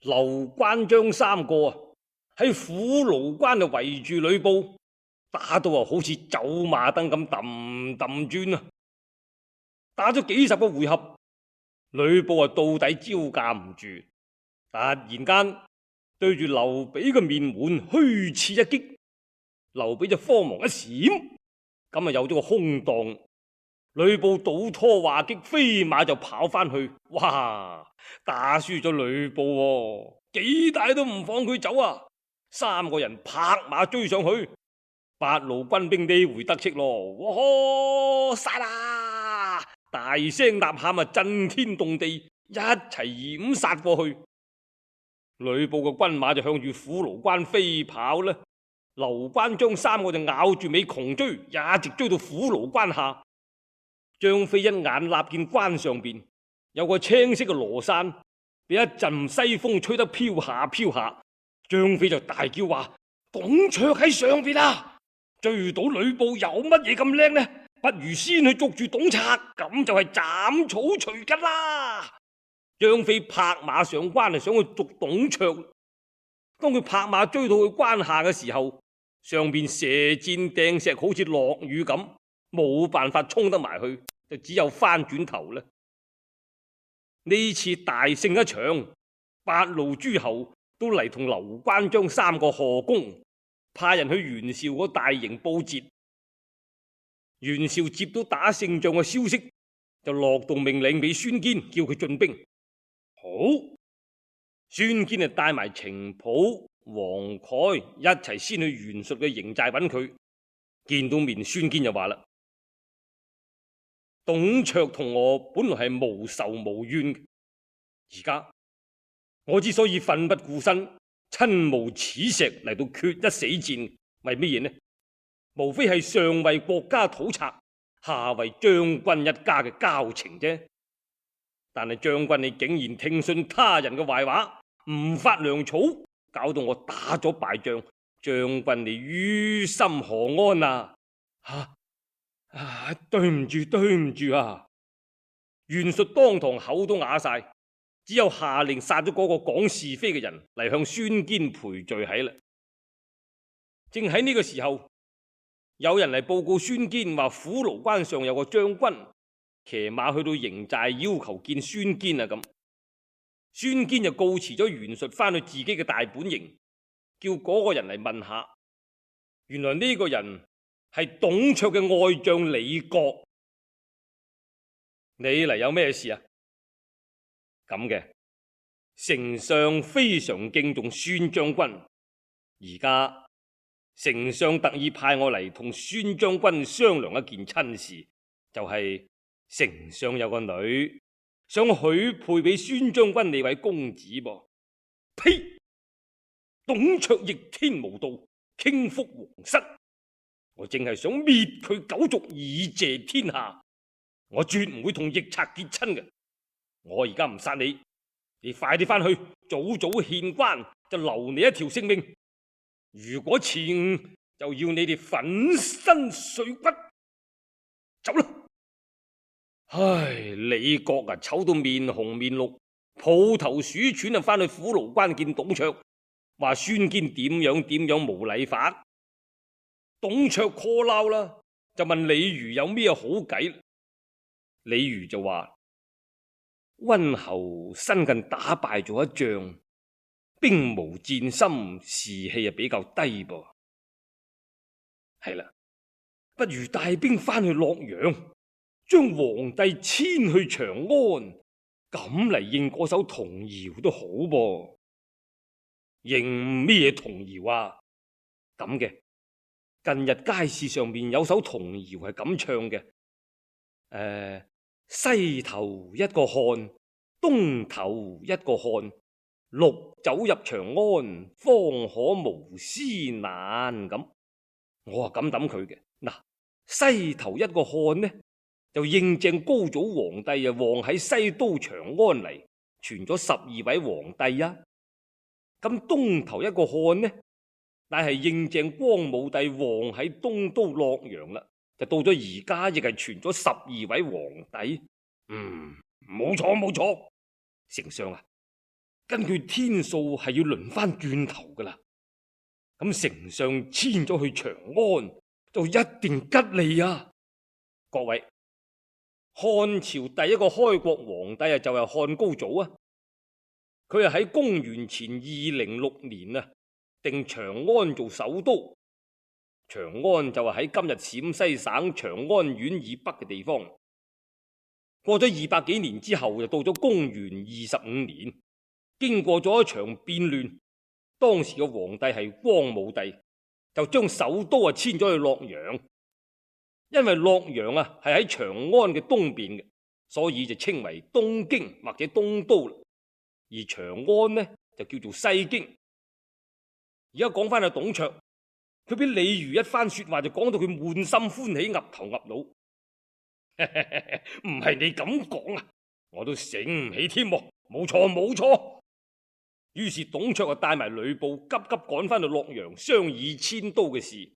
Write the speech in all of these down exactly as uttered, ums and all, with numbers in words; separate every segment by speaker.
Speaker 1: 劉關張三個啊喺虎牢關就圍住呂布，打到啊好似走馬燈咁揼揼轉啊！打咗幾十個回合，呂布啊到底招架唔住，突然間對住劉備嘅面門虛刺一擊，劉備就慌忙一閃，咁啊有咗個空檔。呂布倒拖話擊，飛馬就跑翻去，哇！打輸咗呂布喎，幾大都唔放佢走啊！三個人拍馬追上去，八路軍兵呢回得戚咯，哇！殺啦！大聲吶喊啊，震天動地，一齊掩殺過去。呂布嘅軍馬就向住虎牢關飛跑啦，劉關張三個就咬住尾窮追，一直追到虎牢關下。張飛一眼立見關上邊有個青色嘅羅傘，俾一陣西風吹得飄下飄下。張飛就大叫話：董卓喺上邊啊！追到呂布有乜嘢咁叻呢？不如先去捉住董卓，咁就係斬草除根啦！張飛拍馬上關，係想去捉董卓。當佢拍馬追到去關下嘅時候，上邊射箭掟石，好似落雨咁，冇辦法衝得埋去，就只有翻轉頭啦。呢次大勝一場，八路諸侯都嚟同劉關張三個賀功，派人去袁紹嗰大營報捷。袁紹接到打勝仗嘅消息，就落動命令俾孫堅，叫佢進兵。好，孫堅就帶埋程普、黃蓋一齊先去袁術嘅營寨揾佢。見到面，孫堅就話啦：董卓同我本來係無仇無怨嘅，而家我之所以奮不顧身、親冒矢石嚟到決一死戰，為乜嘢呢？無非係上為國家討賊，下為將軍一家嘅交情啫。但係將軍你竟然聽信他人嘅壞話，唔發糧草，搞到我打咗敗仗，將軍你於心何安啊？啊啊！對唔住，對唔住啊！袁術當堂口都啞晒，只有下令殺咗嗰個講是非嘅人嚟向孫堅賠罪喺啦。正喺呢個時候，有人嚟報告孫堅話虎牢關上有個將軍騎馬去到營寨，要求見孫堅啊！咁孫堅就告辭咗袁術，翻去自己嘅大本營，叫嗰個人嚟問下。原來呢個人係董卓嘅愛將李傕。你嚟有咩事啊？咁嘅，丞相非常敬重孫將軍，而家丞相特意派我嚟同孫將軍商量一件親事，就係丞相有個女，想許配俾孫將軍呢位公子噃。呸！董卓逆天無道，傾覆皇室，我正係想滅佢九族以謝天下，我絕唔會同逆賊結親嘅。我而家唔殺你，你快啲翻去，早早獻關，就留你一條性命。如果遲誤，就要你哋粉身碎骨。走啦！唉，李傕啊，醜到面紅面綠，抱頭鼠竄啊，翻去虎牢關見董卓，話孫堅點樣點樣無禮法。董卓 call 鬧啦，就問李儒有咩好計。李儒就話：溫侯新近打敗咗一仗，兵無戰心，士氣啊比較低噃。係啦，不如帶兵翻去洛陽，將皇帝遷去長安，咁嚟應嗰首童謠都好噃。應咩童謠啊？咁嘅，近日街市上面有首童謠係咁唱嘅，誒、呃，西頭一個漢，東頭一個漢，陸走入長安，方可無師難。咁我啊咁諗佢嘅。嗱，西頭一個漢呢，就應正高祖皇帝啊旺喺西都長安嚟，傳咗十二位皇帝啊。咁東頭一個漢呢，乃係應正光武帝旺喺東都洛陽啦，就到咗而家亦係傳咗十二位皇帝。嗯，冇錯冇錯，丞相啊，根據天數係要輪翻轉頭噶啦。咁丞相遷咗去長安，就一定吉利啊！各位，漢朝第一個開國皇帝啊，就係漢高祖啊。佢係喺公元前二零六年啊，定長安做首都。長安就係喺今日陝西省長安縣以北嘅地方。過咗二百幾年之後，就到咗公元二十五年，經過咗一場變亂，當時嘅皇帝係光武帝，就將首都啊遷咗去洛陽。因為洛陽啊係喺長安嘅東邊嘅，所以就稱為東京或者東都，而長安呢就叫做西京。而家講翻阿董卓，佢俾李儒一番說話就講到佢滿心歡喜，岌頭岌腦。唔係你咁講啊，我都醒唔起添。冇錯冇錯。於是董卓就帶埋呂布急急趕翻到洛陽商議遷都嘅事。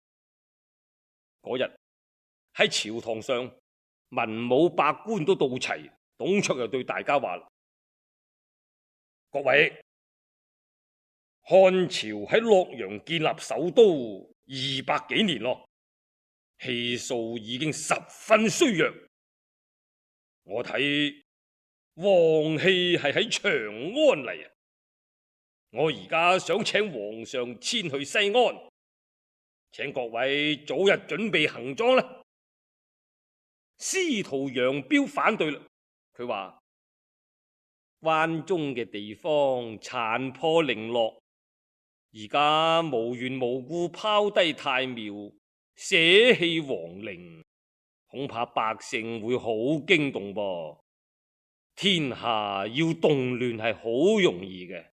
Speaker 1: 嗰日喺朝堂上，文武百官都到齊，董卓又對大家話啦：各位，漢朝喺洛陽建立首都二百幾年咯，氣數已經十分衰弱。我睇王氣係喺長安嚟啊！我而家想請皇上遷去西安，請各位早日準備行裝啦。司徒楊彪反對啦，佢話關中嘅地方殘破零落，而家無緣無故拋低太廟，捨棄皇陵，恐怕百姓會好驚動噃。天下要動亂係好容易嘅，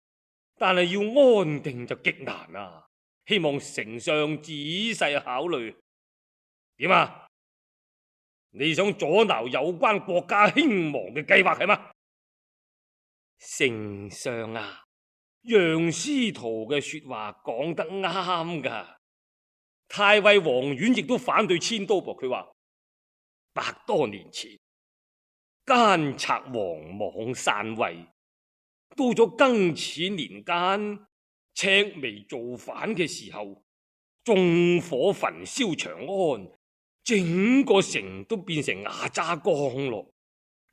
Speaker 1: 但係要安定就極難啊！希望丞相仔細考慮。點啊？你想阻撓有關國家興亡嘅計劃係嗎？丞相啊，楊司徒嘅說話講得啱噶。太尉王遠亦都反對遷都噃。佢話百多年前奸賊王莽篡位，到咗庚子年間，赤眉造反嘅時候，縱火焚燒長安，整個城都變成瓦渣江咯。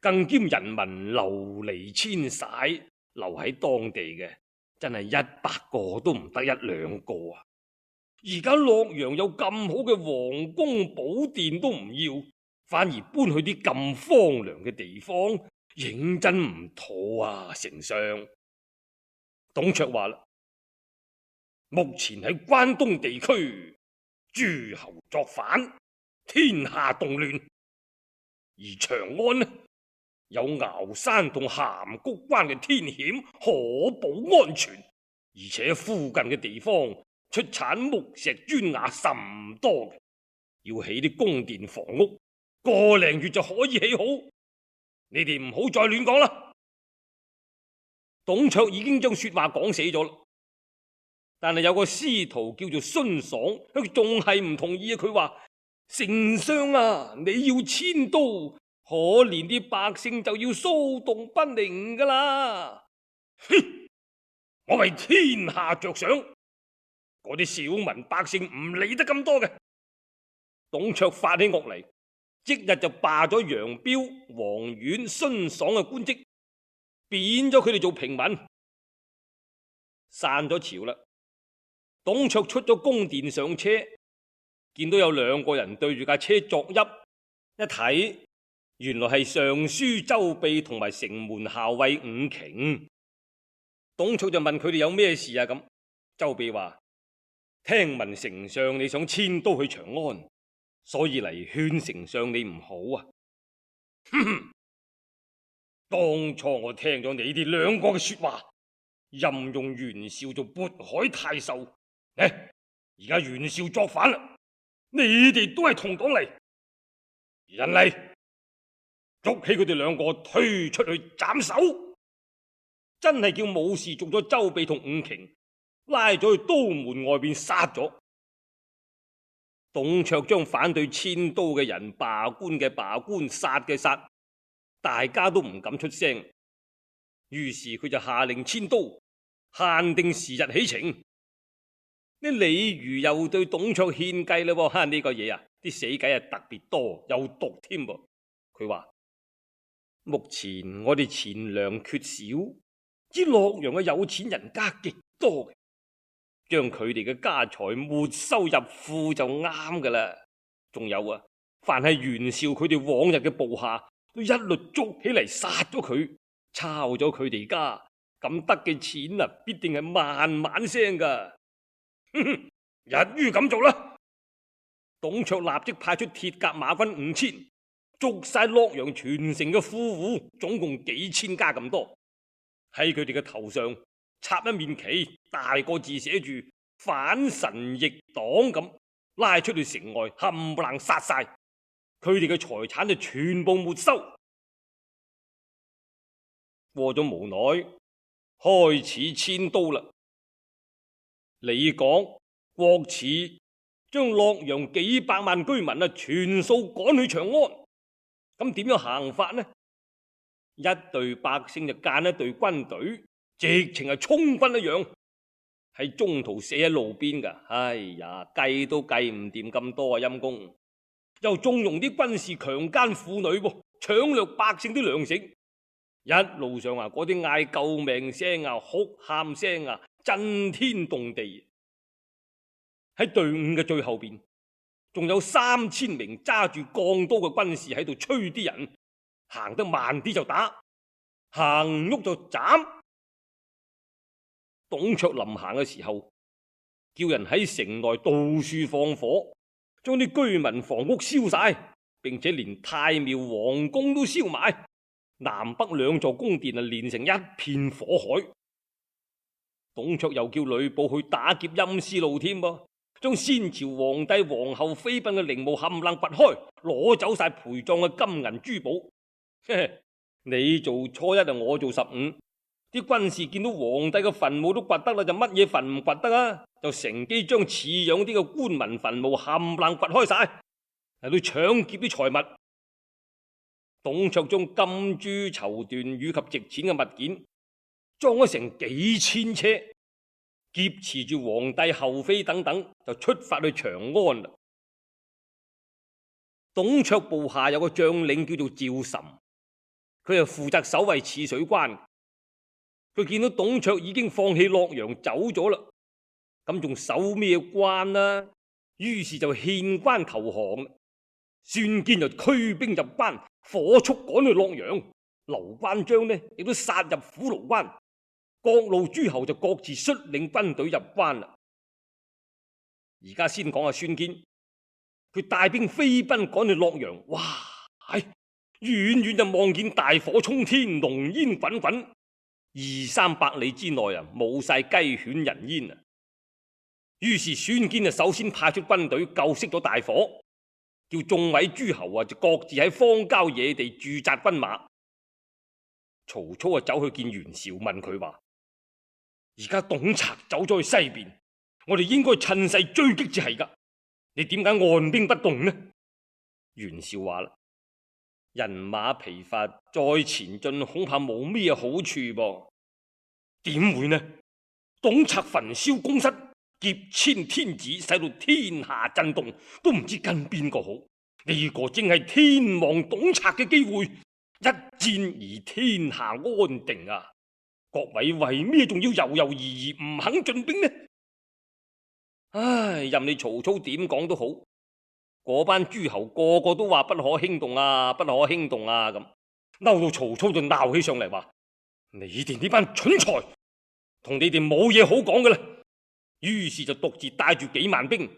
Speaker 1: 更兼人民流離遷徙，留喺當地嘅真係一百個都唔得一兩個啊！而家洛陽有咁好嘅皇宮寶殿都唔要，反而搬去啲咁荒涼嘅地方，認真唔妥啊！丞相，董卓話啦，目前喺關東地區，諸侯作反，天下動亂，而長安呢，有鰲山同函谷關嘅天險，可保安全，而且附近嘅地方出產木石磚瓦甚多，要起啲宮殿房屋，個零月就可以起好。你哋唔好再亂講啦。董卓已經將說話講死咗啦，但係有個司徒叫做孫爽，佢仲係唔同意啊。佢話：丞相啊，你要遷都，可憐啲百姓就要騷動不寧噶啦。哼！我為天下着想，嗰啲小民百姓唔理得咁多嘅。董卓發起惡嚟，即日就罷咗楊彪、王遠、孫爽嘅官職，貶咗佢哋做平民。散咗朝啦，董卓出咗宮殿上車，見到有兩個人對住架車作揖，一睇原來係尚書周秘同埋城門校尉伍瓊。董卓就問佢哋有咩事啊？咁周秘話：聽聞丞相你想遷都去長安，所以嚟勸丞相你唔好啊。哼哼，當初我聽咗你哋兩個嘅說話，任用袁紹做渤海太守，誒，而家袁紹作反啦，你哋都係同黨嚟，人嚟，捉起佢哋兩個推出去斬首。真係叫武士捉咗周秘同伍瓊，拉咗去都門外邊殺咗。董卓將反對遷都嘅人罷官嘅罷官，殺嘅殺，大家都唔敢出聲。於是佢就下令遷都，限定時日起程。呢李儒又對董卓獻計啦，喎，呢個嘢啊，啲死計啊特別多，有毒添噃。佢話目前我哋錢糧缺少，知洛陽嘅有錢人家極多嘅，將佢哋嘅家財沒收入庫就啱噶啦。仲有啊，凡係袁紹佢哋往日嘅部下，都一律捉起嚟殺咗佢，抄咗佢哋家，咁得嘅錢啊，必定係萬萬聲噶。哼哼，一於咁做啦。董卓立即派出鐵甲馬軍五千，捉晒洛陽全城嘅富戶，總共幾千家咁多。喺佢哋嘅頭上插一面旗，大個字寫住反神逆黨咁，拉出去城外冚唪唥殺晒，佢哋嘅財產就全部沒收。過咗無耐，開始遷都啦。李廣、郭汜將洛陽幾百萬居民啊，全數趕去長安。咁點樣行法呢？一隊百姓就間一隊軍隊，直情係充軍一樣，喺中途死喺路邊噶。哎呀，計都計唔掂咁多啊！陰公又縱容啲軍士強姦婦女，搶掠百姓啲糧食。一路上啊，嗰啲嗌救命聲啊、哭喊聲啊，震天動地。喺隊伍嘅最後邊，仲有三千名揸住鋼刀嘅軍士喺度催啲人，行得慢啲就打，行唔喐就斬。董卓臨行嘅時候，叫人喺城內到處放火，將啲居民房屋燒晒，並且連太廟皇宮都燒埋，南北兩座宮殿啊，連成一片火海。董卓又叫呂布去打劫陰司路添噃，將先朝皇帝皇后妃嬪嘅陵墓冚唪唥掘開，攞走晒陪葬嘅金銀珠寶。你做初一啊，我做十五。啲軍士見到皇帝嘅墳墓都掘得啦，就乜嘢墳唔掘得啊？就乘機將似樣啲嘅官民墳墓冚唪唥掘開晒，嚟到搶劫啲財物。董卓將金珠綢緞以及值錢嘅物件裝咗成幾千車，劫持住皇帝后妃等等，就出發去長安啦。董卓部下有個將領叫做趙岑，佢係負責守衛汜水關。佢見到董卓已經放棄洛陽走咗啦，咁仲守咩關啊？於是就獻關投降。孫堅就驅兵入關，火速趕去洛陽。劉關張呢亦都殺入虎牢關。各路諸侯就各自率領軍隊入關啦。而家先講下孫堅，佢帶兵飛奔趕去洛陽，哇！係遠遠就望見大火衝天，濃煙滾滾，二三百里之內啊，冇晒雞犬人煙啊。於是孫堅啊，首先派出軍隊救熄咗大火，叫眾位諸侯啊，就各自喺荒郊野地駐紮軍馬。曹操啊，走去見袁紹，問佢話：而家董賊走咗去西邊，我哋應該趁勢追擊至係噶。你點解按兵不動呢？袁紹話啦：人馬疲乏，再前進恐怕冇咩好處噃。點會呢？董賊焚燒宮室，劫遷天子，使到天下震動，都唔知跟邊個好。呢個正係天亡董賊嘅機會，一戰而天下安定啊！各位為咩仲要猶猶豫豫唔肯進兵呢？唉，任你曹操點講都好，嗰班諸侯個個都話不可輕動啊，不可輕動啊咁，嬲到曹操就鬧起上嚟，話：你哋呢班蠢材，同你哋冇嘢好講嘅啦。於是就獨自帶住幾萬兵，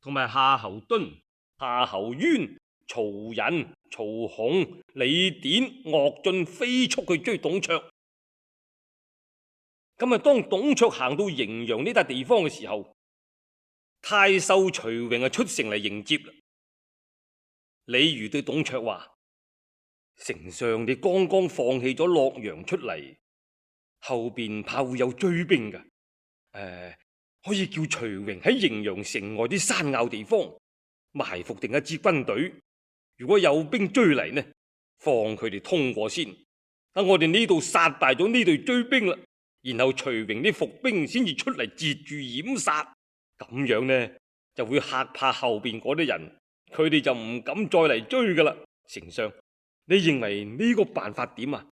Speaker 1: 同埋夏侯惇、夏侯淵、曹仁、曹洪、李典、岳進飛速去追董卓。咁啊，當董卓行到滎陽呢笪地方嘅時候，太守徐榮啊出城嚟迎接啦。李儒對董卓話：丞相你剛剛放棄咗洛陽出嚟，後邊怕會有追兵噶。誒、呃，可以叫徐榮喺滎陽城外啲山坳地方埋伏定一支軍隊，如果有兵追嚟呢，放佢哋通過先，等我哋呢度殺敗咗呢隊追兵啦，然後徐榮啲伏兵先至出嚟截住掩殺，咁樣呢就會嚇怕後邊嗰啲人，佢哋就唔敢再嚟追噶啦。丞相，你認為呢個辦法點啊？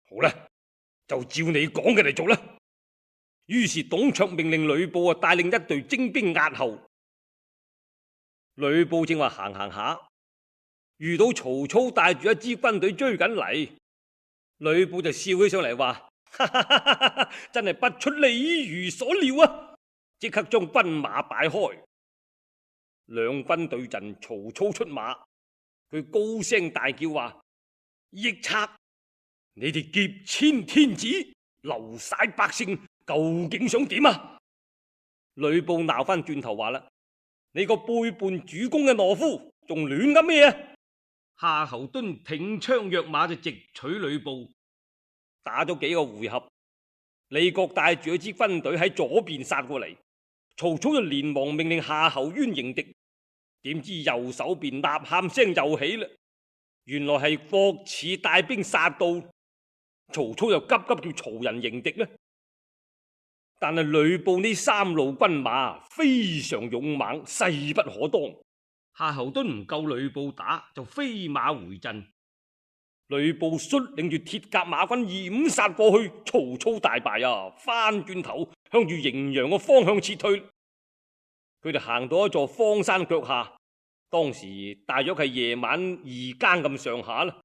Speaker 1: 好啦，就照你講嘅嚟做啦。於是董卓命令呂布啊帶領一隊精兵壓後。呂布正話行行下，遇到曹操帶住一支軍隊追緊嚟，呂布就笑起上嚟話：哈哈哈哈，真係不出李儒所料啊！即刻將軍馬擺開，兩軍對陣，曹操出馬，佢高聲大叫話：逆賊！你哋劫遷天子，流徙百姓，究竟想點啊？呂布鬧翻轉頭話啦：你個背叛主公嘅懦夫，仲亂噏咩啊？夏侯惇挺槍躍馬就直取呂布，打咗幾個回合，李傕帶住一支軍隊喺左邊殺過嚟，曹操就連忙命令夏侯淵迎敵，點知右手邊吶喊聲又起啦，原來係霍賜帶兵殺到。曹操又急急叫曹仁迎敵呢，但係呂布呢三路軍馬非常勇猛，勢不可當。夏侯惇唔夠呂布打，就飛馬回陣。呂布率領住鐵甲馬軍掩殺過去，曹操大敗啊！翻轉頭向住滎陽個方向撤退。佢哋行到一座荒山腳下，當時大約係夜晚二更咁上下啦，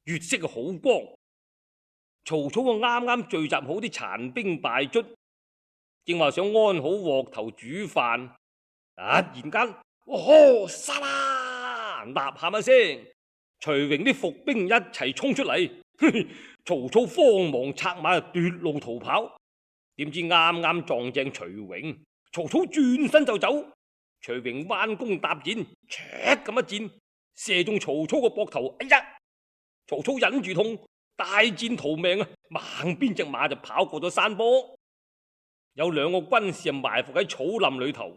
Speaker 1: 月色好光。曹操啊，啱啱聚集好啲殘兵敗卒，正話想安好鑊頭煮飯，突然間，哦，殺啦！吶喊一聲，徐榮啲伏兵一齊衝出嚟，曹操慌忙策馬奪路逃跑，點知啱啱撞正徐榮，曹操轉身就走，徐榮彎弓搭箭，唰咁一箭射中曹操個膊頭，哎呀！曹操忍住痛，大戰逃命啊！猛鞭隻馬就跑過咗山坡，有兩個軍士埋伏喺草林裏頭，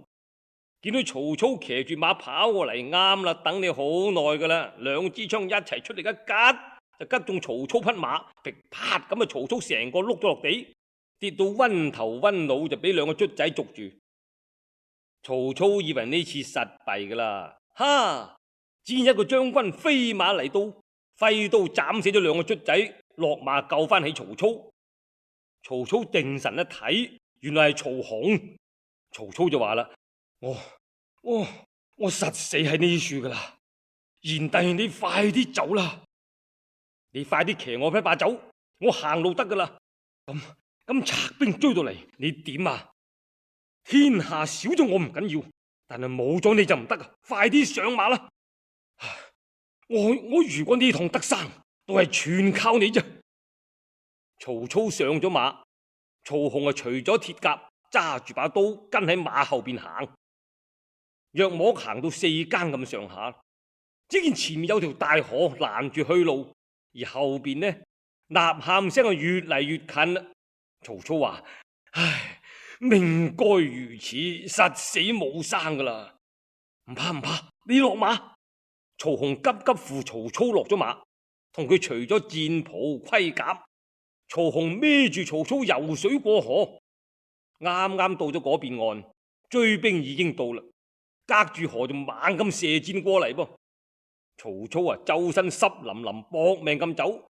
Speaker 1: 見到曹操騎住馬跑過嚟，啱啦，等你好耐噶啦，兩支槍一齊出嚟一吉，就吉中曹操匹馬，噼啪咁啊！曹操成個碌咗落地，跌到暈頭暈腦，就俾兩個卒仔捉住。曹操以為呢次實弊噶啦，哈！只見一個將軍飛馬嚟到，揮刀斬死咗兩個卒仔，落馬救翻起曹操。曹操定神一睇，原來係曹洪。曹操就話啦：我我我實死喺呢處噶啦，賢弟你快啲走啦，你快啲騎我匹馬走，我行路得噶啦。咁咁賊兵追到嚟，你點啊？天下少咗我唔緊要，但係冇咗你就唔得啊！快啲上馬啦！我我如果呢趟得生，都係全靠你啫。曹操上咗馬，曹洪啊除咗鐵甲，揸住把刀跟喺馬後邊行。約莫行到四更咁上下，只見前面有條大河攔住去路，而後邊呢吶喊聲啊越嚟越近啦。曹操話：唉，命該如此，實死冇生噶啦。唔怕唔怕，你落馬。曹洪急急扶曹操落咗馬，同佢除咗戰袍盔甲。曹洪孭住曹操游水過河，啱啱到咗嗰邊岸，追兵已經到啦，隔住河就猛咁射箭過嚟噃。曹操啊，周身濕淋淋，搏命咁走。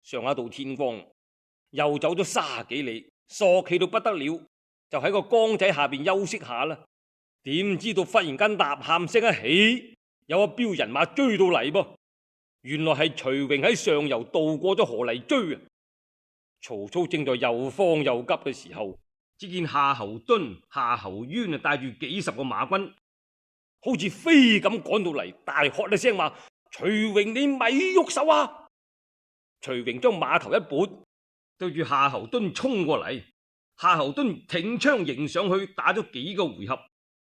Speaker 1: 上一到天光，又走咗卅幾里，索氣到不得了，就喺個江仔下邊休息下啦。點知道忽然間吶喊聲一起，有一彪人馬追到嚟噃。原來係徐榮喺上游渡過咗河嚟追啊！曹操正在又慌又急嘅時候，只見夏侯惇、夏侯淵啊帶住幾十個馬軍，好似飛咁趕到嚟，大喝一聲話：徐榮你咪喐手啊！徐榮將馬頭一撥，對住夏侯惇衝過嚟。夏侯惇挺槍迎上去，打咗幾個回合，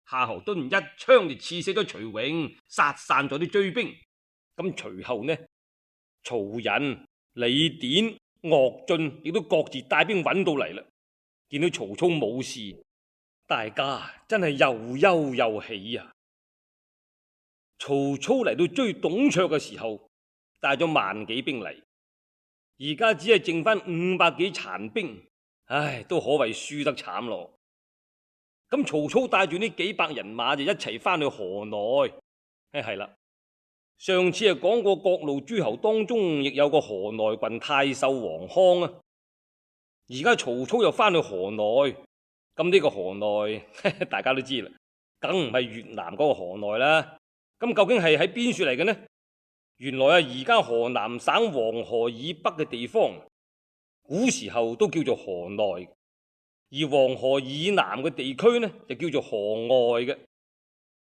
Speaker 1: 夏侯惇一槍就刺死咗徐榮，殺散咗啲追兵。咁隨後呢，曹仁、李典、岳進亦都各自帶兵揾到嚟啦。見到曹操冇事，大家真係又憂又喜啊！曹操嚟到追董卓嘅時候，帶咗萬幾兵嚟，而家只係剩翻五百幾殘兵，唉，都可謂輸得慘咯。咁曹操帶住呢幾百人馬就一齊翻去河內。唉，係啦，上次係講過各路諸侯當中亦有個河內郡太守王康啊。而家曹操又翻去河內，咁呢個河內大家都知啦，梗唔係越南嗰個河內啦。咁究竟係喺邊處嚟嘅呢？原來啊，而家河南省黃河以北嘅地方，古時候都叫做河內。而黃河以南嘅地區呢，就叫做河外嘅。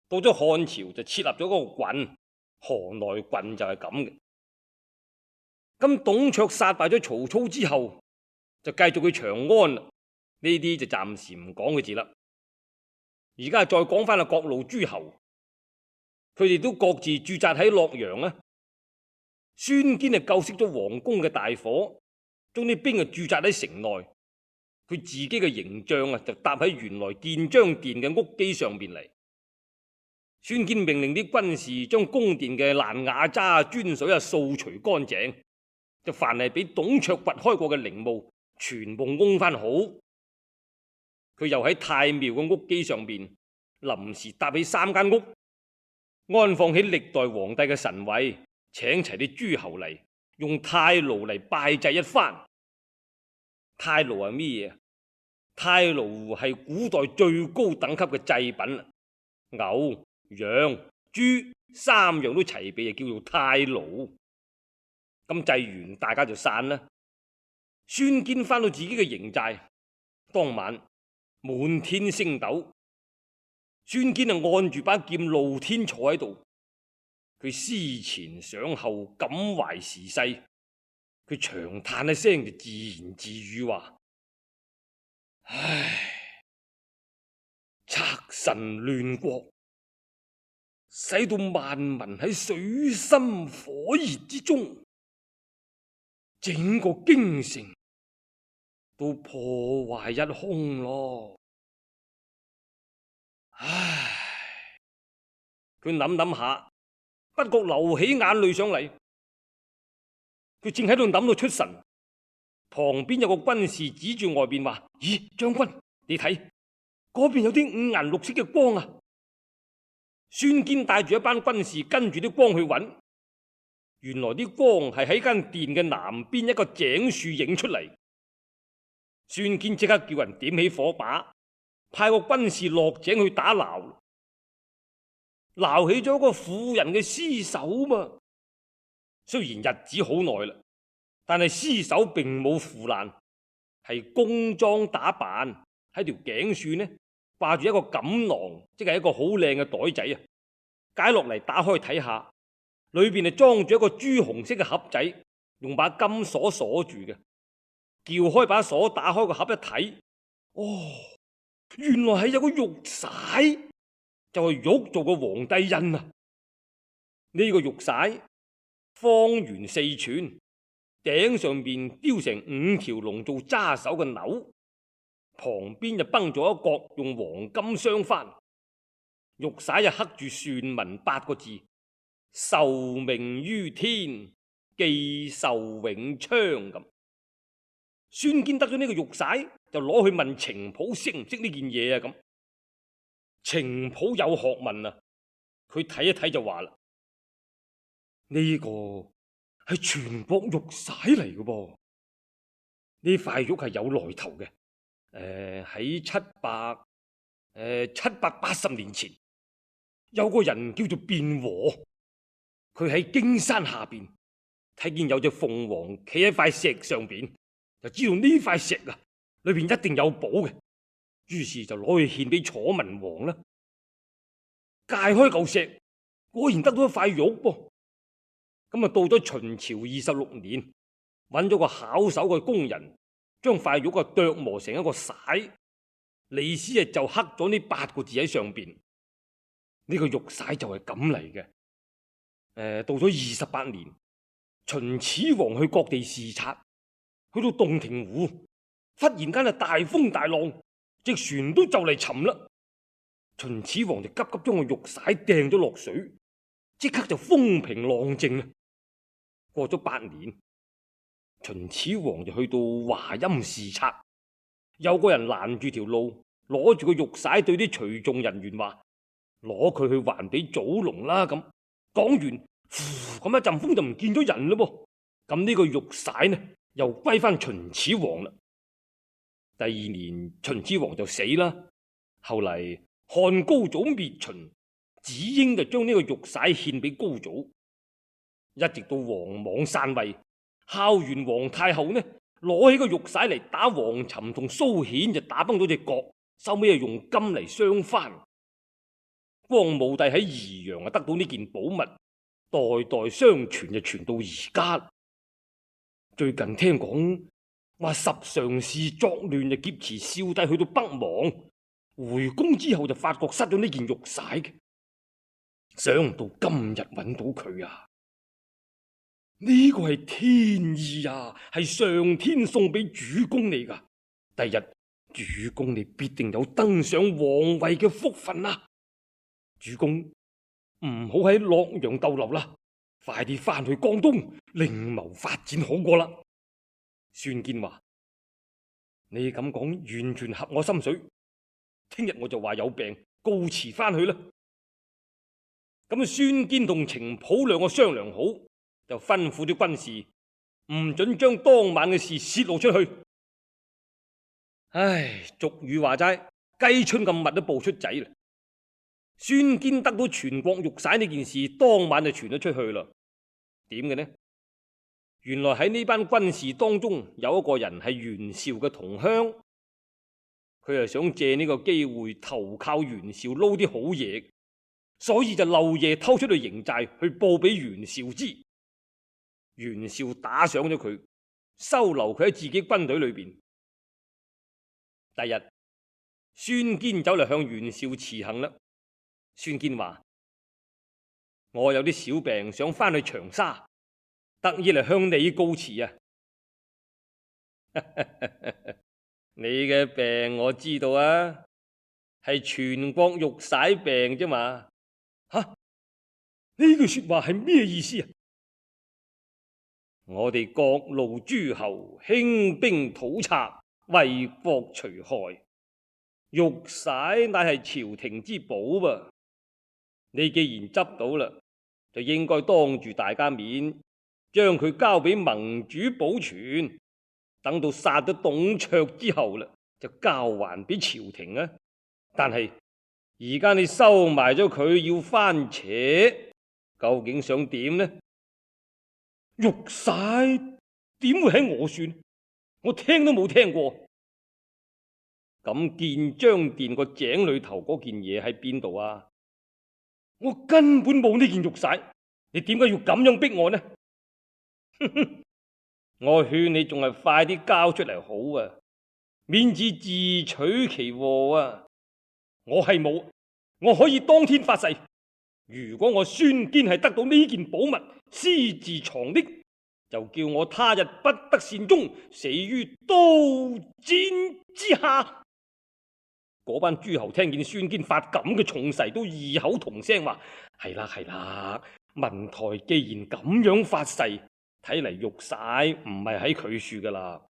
Speaker 1: 到咗漢朝就設立咗嗰個郡，河內郡就係咁嘅。咁董卓殺敗咗曹操之後，就繼續去長安啦。呢啲就暫時唔講佢字啦。而家再講翻啊，各路諸侯，佢哋都各自駐紮喺洛陽啊。孫堅啊救熄咗皇宮嘅大火，將啲兵啊駐紮喺城內。佢自己嘅營帳啊，就搭喺原來建章殿嘅屋基上邊嚟。孫堅命令啲軍士將宮殿嘅爛瓦渣、磚水啊掃除乾淨，就凡係俾董卓掘開過嘅陵墓，全部安翻好。佢又喺太廟嘅屋基上邊臨時搭起三間屋，安放起歷代皇帝嘅神位，請齊啲諸侯嚟，用太爐嚟拜祭一番。太爐係咩嘢？太爐係古代最高等級嘅祭品，牛、羊、豬三樣都齊備，就叫做太爐。咁祭完，大家就散啦。孫堅翻到自己嘅營寨，當晚滿天星斗，孫堅啊按住把劍露天坐喺度，佢思前想後，感懷時勢。佢長嘆一聲，就自言自語話：唉，賊臣亂國，使到萬民喺水深火熱之中，整個京城都破壞一空咯。唉，佢諗諗下，不覺流起眼淚上嚟。佢正喺度諗到出神，旁邊有個軍士指住外邊話：咦，將軍，你睇嗰邊有啲五顏六色嘅光啊！孫堅帶住一班軍士跟住啲光去揾，原來啲光係喺間殿嘅南邊一個井樹影出嚟。孫堅即刻叫人點起火把，派個軍士落井去打撈，撈起咗個婦人嘅屍首嘛。雖然日子好耐啦，但係屍首並冇腐爛，係工裝打扮，喺條頸處呢掛住一個錦囊，即係一個好靚嘅袋仔啊！解落嚟打開睇下，裏邊係裝住一個朱紅色嘅盒仔，用把金鎖鎖住嘅。撬開把鎖，打開個盒一睇，哦，原來係有個玉璽，就係玉做個皇帝印啊！呢個玉璽方圓四寸，頂上邊雕成五條龍做揸手嘅鈕，旁邊就崩咗一角用黃金鑲翻，玉璽就刻住篆文八個字：受命於天，寄壽永昌。咁孫堅得咗呢個玉璽，就攞去問程普識唔識呢件嘢啊？咁程普有學問啊，佢睇一睇就話啦：呢個係全國玉璽嚟嘅噃，呢塊玉係有來頭嘅。誒、呃，喺七百誒七百八十年前，有個人叫做卞和，佢喺荊山下邊睇見有隻鳳凰企喺塊石上邊，就知道呢塊石啊裏邊一定有寶嘅，於是就攞去獻俾楚文王啦。解開嚿石，果然得到一塊玉噃。咁啊，到咗秦朝二十六年，揾咗個巧手嘅工人，將塊玉啊琢磨成一個璽，李斯啊就刻咗呢八個字喺上邊。呢個玉璽就係咁嚟嘅。誒、呃，到咗二十八年，秦始皇去各地視察，去到洞庭湖，忽然間啊大風大浪，隻船都就嚟沉啦。秦始皇就急急將個玉璽掟咗落水，即刻就風平浪靜啦。過咗八年，秦始皇就去到華陰視察，有個人攔住條路，攞住個玉璽對啲隨眾人員話：攞佢去還俾祖龍啦！咁講完，呼咁一陣風就唔見咗人嘞噃。咁呢個玉璽呢，又歸翻秦始皇啦。第二年秦始皇就死啦。後嚟漢高祖滅秦，子嬰就將呢個玉璽獻俾高祖，一直到王莽篡位，孝元皇太后呢攞起個玉璽嚟打王尋同蘇衍，就打崩咗隻角，收尾又用金嚟鑲翻。光武帝喺宜陽啊得到呢件寶物，代代相傳就傳到而家。最近聽講話十常侍作亂就劫持少帝去到北邙，回宮之後就發覺失咗呢件玉璽嘅，想唔到今日揾到佢啊！呢個係天意啊，係上天送俾主公你噶。第日主公你必定有登上皇位嘅福分啊！主公唔好喺洛陽逗留啦，快啲翻去江東另謀發展好過啦。孫堅話：你咁講完全合我心水，聽日我就話有病告辭翻去啦。咁孫堅同程普兩個商量好，就吩咐啲軍士唔准將當晚嘅事泄露出去。唉，俗語話齋，雞春咁密都爆出仔啦。孫堅得到全國玉璽呢件事，當晚就傳咗出去啦。點嘅呢？原來喺呢班軍士當中有一個人係袁紹嘅同鄉，佢係想借呢個機會投靠袁紹撈啲好嘢，所以就漏夜偷出去營寨去報俾袁紹知。袁紹打賞咗佢，收留佢喺自己軍隊裏邊。第日孫堅走嚟向袁紹辭行啦。孫堅話：我有啲小病，想翻去長沙，特意嚟向你告辭啊！你嘅病我知道啊，係全國玉璽病啫嘛。吓，呢句說話係咩意思啊？我哋各路諸侯興兵討賊，為國除害，玉璽乃係朝廷之寶噃。你既然執到啦，就應該當住大家面將佢交俾盟主保存，等到殺咗董卓之後啦，就交還俾朝廷啊。但係而家你收埋咗佢要翻扯，究竟想點呢？玉璽點會喺我算？我聽都冇聽過。咁建章殿個井裏頭嗰件嘢喺邊度啊？我根本冇呢件玉璽，你點解要咁樣逼我呢？我勸你仲係快啲交出嚟好啊，免致自取其禍啊！我係冇，我可以當天發誓，如果我孫堅係得到呢件寶物，私自藏匿，就叫我他日不得善終，死於刀尖之下。嗰班諸侯聽見孫堅發咁嘅重誓，都異口同聲話：係啦係啦，文台既然咁樣發誓，睇嚟玉璽唔係喺佢處噶啦。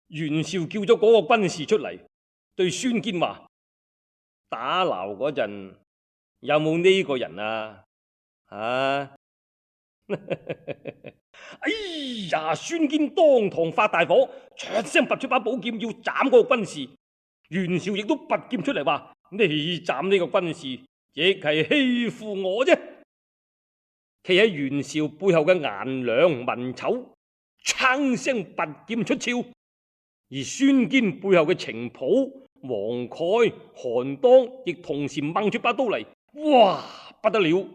Speaker 1: 袁紹叫咗嗰個軍士出嚟，對孫堅話：打撈嗰陣有冇呢個人啊？啊！哎呀！孫堅當堂發大火，唰聲拔出把寶劍要斬嗰個軍士。袁紹亦都拔劍出嚟話：你斬呢個軍士，亦係欺負我啫。企喺袁紹背後嘅顏良、文醜，撐聲拔劍出鞘；而孫堅背後嘅程普、黃蓋、韓當亦同時掹出把刀嚟。哇！不得了！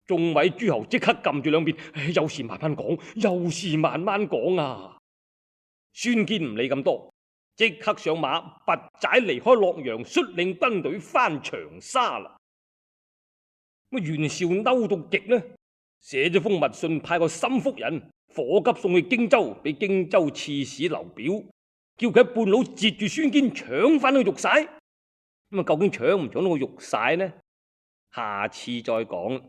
Speaker 1: 眾位諸侯即刻撳住兩邊，有事慢慢講，有事慢慢講啊！孫堅唔理咁多。即刻上馬，拔寨離開洛陽，率領軍隊翻長沙啦。咁袁紹嬲到極呢，寫咗封密信，派個心腹人火急送去荊州，俾荊州刺史劉表，叫佢喺半路截住孫堅，搶翻個玉璽。咁啊，究竟搶唔搶到個玉璽呢？下次再講。